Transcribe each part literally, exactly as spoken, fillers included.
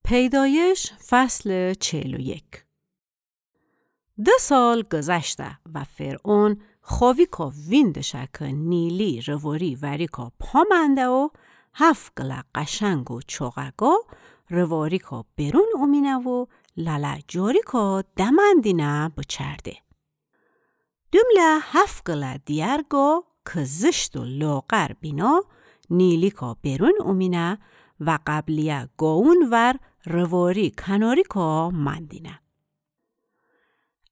پیدایش، فصل چهل و یک. دو سال گذشته و فرعون خویکا ویندشه که نیلی رواری وریکا پامنده و هفت گله قشنگ و چوغه گا رواریکا برون اومینه و لاله جاریکا دمندینه بچرده. دومله هفت گله دیگر گا که زشت و لاغر بینا نیلیکا برون اومینه و قبلیه گاوون ور رواری کناریکا مندینه.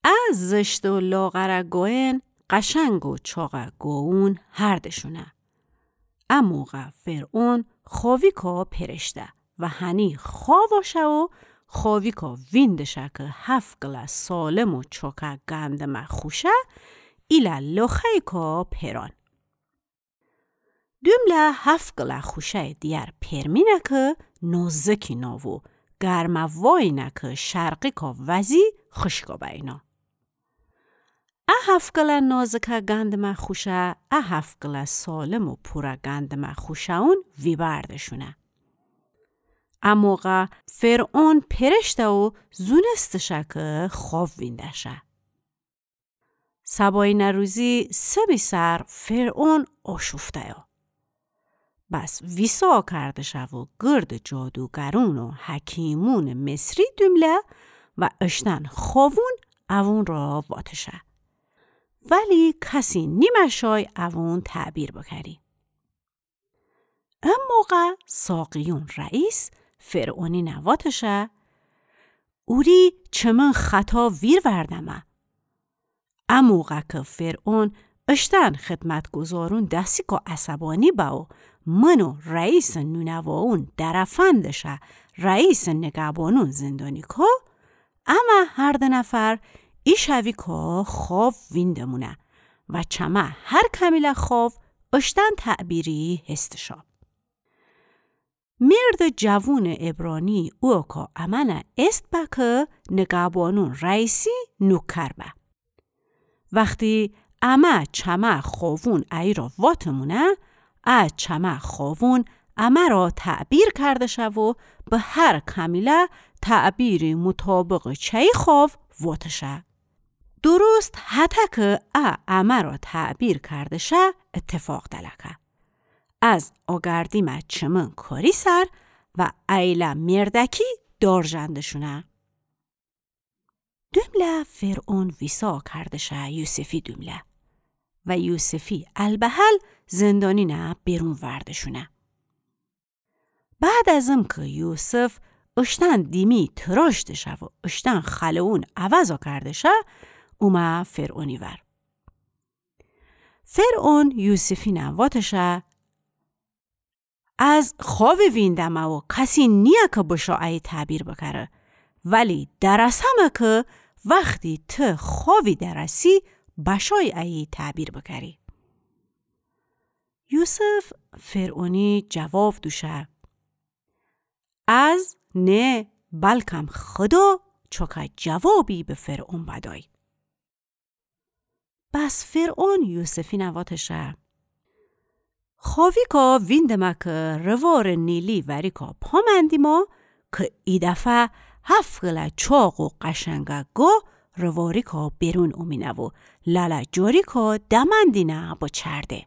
ا زشت و لاغره گاوئن قشنگ و چاقه گاوون هردشونه. ا موقع فرعون خویکا پرشته و هنی خوا واشه و خویکا ویندشه که هفت گله سالم و چاکه گندمه خوشه ایله لاخه‌یکا پران. دومله هفت گله خوشه‌ی دیگر پرمینه که نازکی ناوو گرمه واینه که شرقیکا وزی خشکا بینا. ا هفت گله نازکه گندمه خوشه، ا هفت گله سالم و پوره گندمه خوشه‌ون ویبردشونه. ا موقع فرعون پرشته و زونستشه که خواب ویندشه. صباینه روزی سبی سر فرعون آشوفته‌یا. بس ویسا کردشه و گرد جادوگرون و حکیمون مصری دومله و اشتن خاوون اوون را واتشه. ولی کسی نیمه شای اوون تعبیر بکری. ا موقع ساقیون رئیس فرعونی نواتشه، اوری چمن خطا ویر وردمه. ا موقع که فرعون اشتن خدمتگزارون دسیکا عصبانی به و من و رئیس نونواون درفندشه رئیس نگهبانون زندانیکا، امه هر دو نفر ای شویکا خواب ویندمونه و چمه هر کمیله خواب اشتن تعبیری هستشا. مرد جوون عبرانی اوکا امنه است به که نگهبانون رئیسی نوکر به. وختی امه چمه خاوون ایی را واتمونه، ا چمه خاوون امه را تعبیر کردشه و به هر کمیله تعبیری مطابق چه‌یی خواب واتشه. درست هطه که ا امه را تعبیر کردشه اتفاق دلکه. از آگردیمه چمن کاری سر و ایله مردکی دار ژندشونه. دومله فرعون ویسا کردشه یوسفی دومله و یوسفی البهل زندانینه برون وردشونه. بعد از امکه یوسف اشتن دیمی تراشتشه و اشتن خلعون عوضا کردشه، اومه فرعونی ور. فرعون یوسفینه واتشه، از خوابی ویندمه و کسی نیه که بشا ایی تعبیر بکره، ولی درسمه که وختی ته خوابی درسی بشای ایی تعبیر بکری. یوسف فرعونی جواب دوشه، از نه، بلکم خدا چوکه جوابی به فرعون بدای. بس فرعون یوسفی نواتشه، خوابیکا ویندمه که روار نیلی وریکا پامندیما که ای دفعه هفت گله چاق و قشنگه گا رواریکا برون اومینه و لاله جاریکا دمندینه بچرده.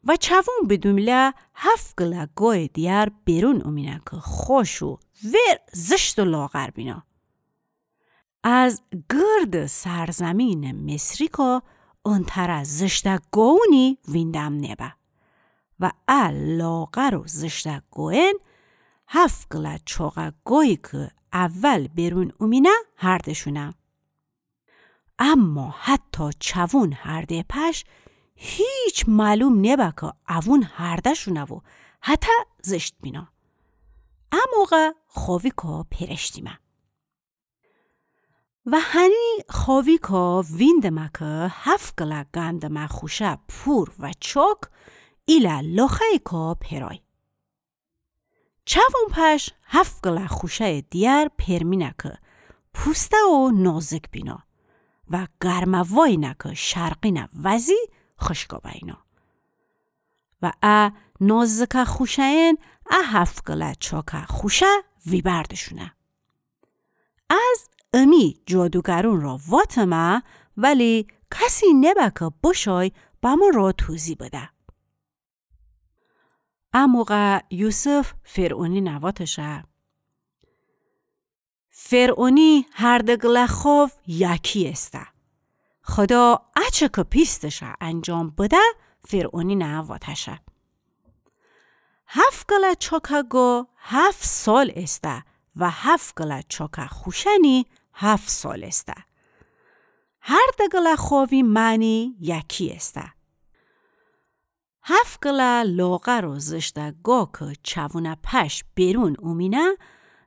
و چوون بدومله هفت گله گای دیگر برون اومینه که خوش و ور زشت و لاغر بینا. از گرد سرزمین مصریکا انتره زشته گاونی ویندم نبه. و ا لاغر و زشته گاین هفت گله چاقه گایی که اول برون اومینه هردشونه. اما حتی چوون هرده پش هیچ معلوم نبه که اوون هرده‌شونه و هطه زشت بینا. ا موقع خوابیکا پرشتیمه. و هنی خوابیکا ویندمه که هفت گله گندمه خوشه پور و چاک ایله لاخه‌یکا پرای. چوون پش هفت گله خوشه‌ی دیگر پرمینه که پوسته و نازک بینا و گرمه واینه که شرقینه وزی خشکا بینا. و ا نازکه خوشه‌ین ا هفت گله چاکه خوشه ویبردشونه. امی جادوگرون را واتمه، ولی کسی نبه که بشای بمو را توضیح بده. ا موقع یوسف فرعونی نواتشه: فرعونی هر دگله خاو یکی استه. خدا اچه که پیستشه انجام بده، فرعونی نواتشه: هفت گله چاکه گا هفت سال استه و هفت گله چاکه خوشنی هفت سال استه. هر دگله خاوی معنی یکی استه. هفت گله لاغر و زشته گا که چوونه پش برون اومینه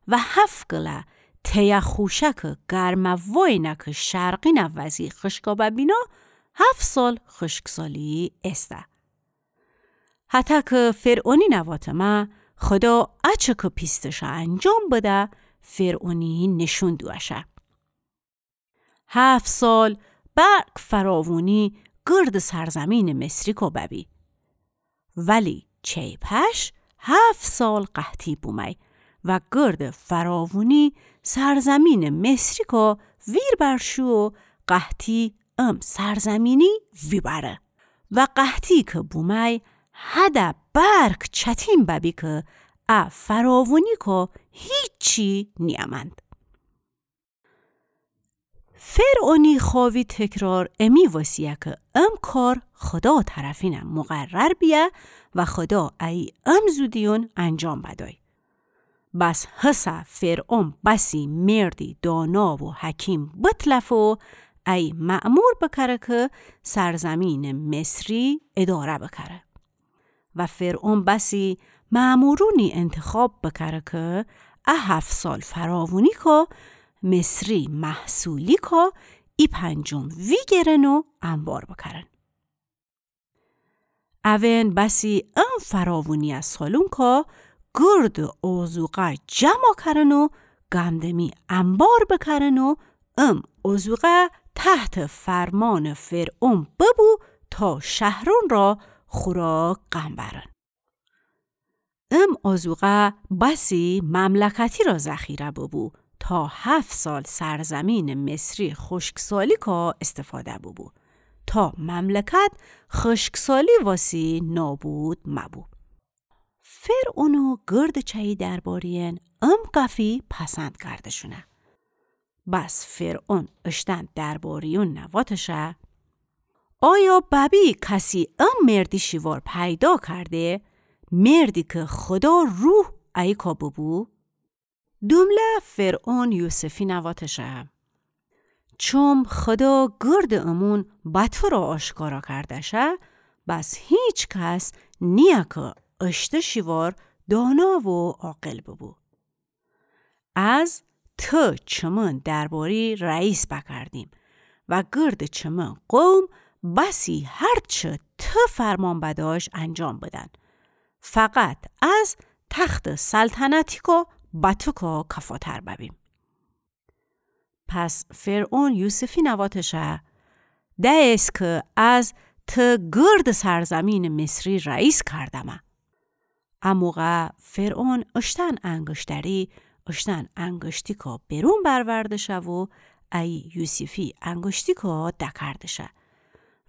و هفت گله تیه خوشه که گرمه واینه که شرقینه وزی خشکا ببینه، هفت سال خشکسالی استه. هتک فرعونی نواتمه، خدا اچه که پیستشه انجام بده، فرعونی نشون دوشه. هفت سال برق فراوونی گرد سرزمین مصری کو ببی. ولی چی پش هفت سال قحطی بومی و گرد فراوونی سرزمین مصری کو ویر برشو و قحطی ام سرزمینی ویبره. و قحطی که بومی هده برق چتین ببی که ا فراوونی کو هیچی نیامند. فرعونی خاوی تکرار امی وسیه که ام کار خدا طرفینه مقرر بیه و خدا ای ام زودیون انجام بدای. بس هسه فرعون بسی مردی دانا و حکیم بتلفه و ای مأمور بکره که سرزمین مصری اداره بکره. و فرعون بسی مأمورونی انتخاب بکره که ا هفت سال فراوونی که مصری محصولی که ای پنجم ویگرن و انبار بکرن. اوین بسی ام فراوونی سالون که گرد آذوقه جمع کرن و گندمی انبار بکرن و ام آذوقه تحت فرمان فرعون ببو تا شهرون را خوراک قم برن. ام آذوقه بسی مملکتی را ذخیره ببو تا هفت سال سرزمین مصری خشکسالی که استفاده ببو تا مملکت خشکسالی واسی نابود مبو. فرعون و گرد چهی درباریان ام گفی پسند کردشونه. بس فرعون اشتن درباریون نواتشه: آیا ببی کسی ام مردی شیوار پیدا کرده، مردی که خدا روح ایکا ببو؟ دومله فرعون یوسفی نواتشه: چوم خدا گرد امون بتو را آشکارا کردشه، بس هیچ کس نیه که اشته شیوار دانا و عاقل ببو. از ته چمن درباری رئیس بکردیم و گرد چمن قوم بسی هرچه ته فرمان بداش انجام بدن. فقط از تخت سلطنتیکو بتوکو کفاتر ببیم. پس فرعون یوسفی نواتشه: دئیس که از ته گرد سرزمین مصری رئیس کردمه. ا موقع فرعون اشتن انگشتری، اشتن انگشتیکو برون بروردشه و ای یوسفی انگشتیکو دکردشه.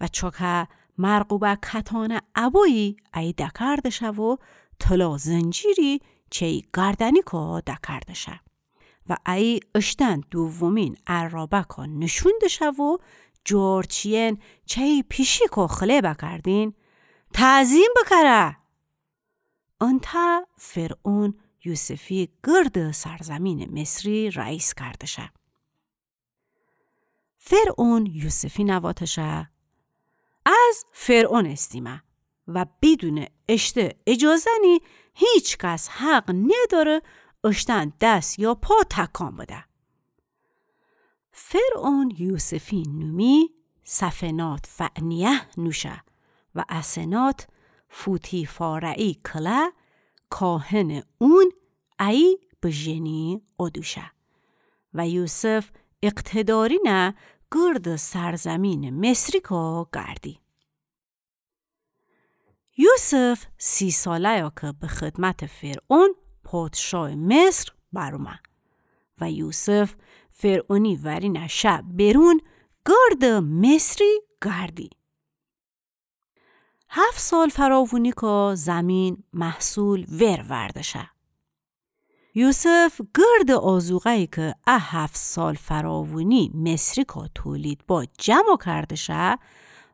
و چوکه مرغوبه کتانه ابویی ای دکردشه و طلا زنجیری چی گردنیکو دکردشه. و ای اشتن دومین عرابکو نشون دشه و جورچیین چی پیشیکو خله بکردین: تعظیم بکره! انتا فرعون یوسفی گرد سرزمین مصری رئیس کردشه. فرعون یوسفی نواتشه: از فرعون استیمه و بدون اشته اجازه‌نی هیچ کس حق نداره اشتن دس یا پا تکان بده. فرعون یوسفی نومی سفنات فعنیه نوشه و اسنات فوتیفاره‌ای کله کاهن اون ای بژنی اودوشه و یوسف اقتدارینه گرد سرزمین مصریکو گردی. یوسف سی ساله‌یه که به خدمت فرعون پادشاه مصر برومه و یوسف فرعونی ورینه شه برون، گردٚ مصری گردی. هفت سال فراوونی کا زمین محصول ور وردشه. یوسف گردٚ آذوقه‌یی که ا هفت سال فراوونی مصری کا تولید با جمع کردشه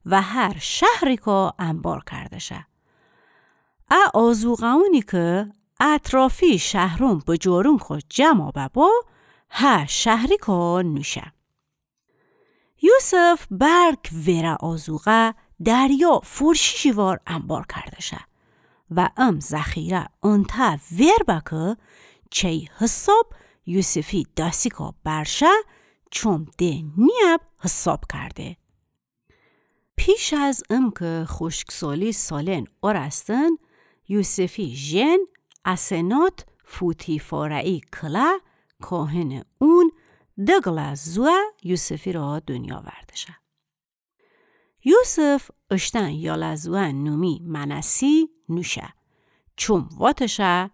و هر شهری کا انبار کردشه. ا آذوقه‌یونی که اطرافی شهرون بجارون کا جمع ببا، هر شهری کا نوشه. یوسف بلک وره آذوقه دریا فورشیشی وار انبار کردشه و ام ذخیره انته ور به که چی حساب یوسفی داسی کا برشه، چوم ده نیب حساب کرده. پیش از امه که خوشکسالی سالن اورستن، یوسفی ژن اسنات فوتیفاره‌یی کله کاهنٚ اون ده گله زوه یوسفی را دونیا وردشه. یوسف اشتن یاله زوه نومی منسی نوشه. چوم واتشه،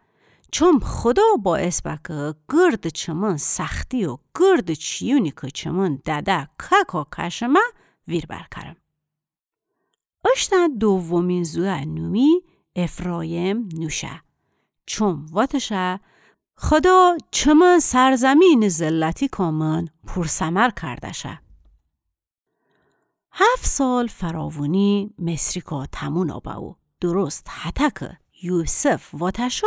چوم خدا باعث به که گردٚ چمن سختی و گردٚ چیونی که چمن دده کاکا کشمه ویر برکرم. اشتن دومین زوه نومی افرایم نوشه. چوم واتشه، خدا چمن سرزمینٚ ذلتی کا من پورثمر کردشه. هفت سال فراوونی مصری کا تموم بو، درست هطه که یوسف واتشو،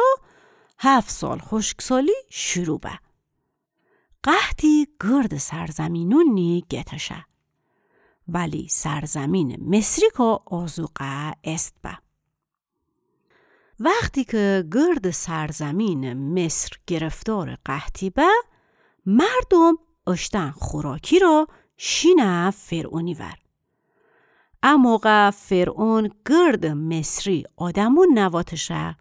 هفت سال خوشکسالی شروع به. قحطی گردٚ سرزمینونی گتشه. ولی سرزمینٚ مصری کا آذوقه است به. وختی که گردٚ سرزمینٚ مصر گرفتارٚ قحطی به، مردوم اشتن خوراکی را شینه فرعونی ور. ا موقع فرعون گردٚ مصری آدمون واتشه،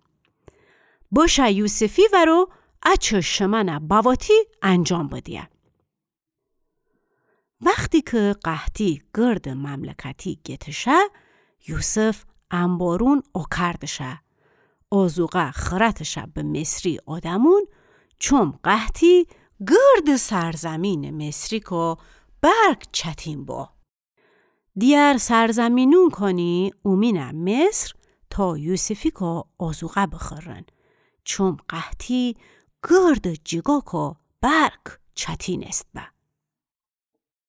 بشه یوسفی ور و اچه شمنه بواتی انجام بدیه. وختی که قحطی گردٚ مملکتی گتشه، یوسف انبارون اوکردشه، آذوقه خرتشه به مصری آدمون، چوم قحطی گردٚ سرزمینٚ مصری کا بلک چتین بو. دیگر سرزمینون کانی اومینه مصر تا یوسفی کا آذوقه بخورن، چوم قحطی گردٚ جیگا کا بلک چتین است به.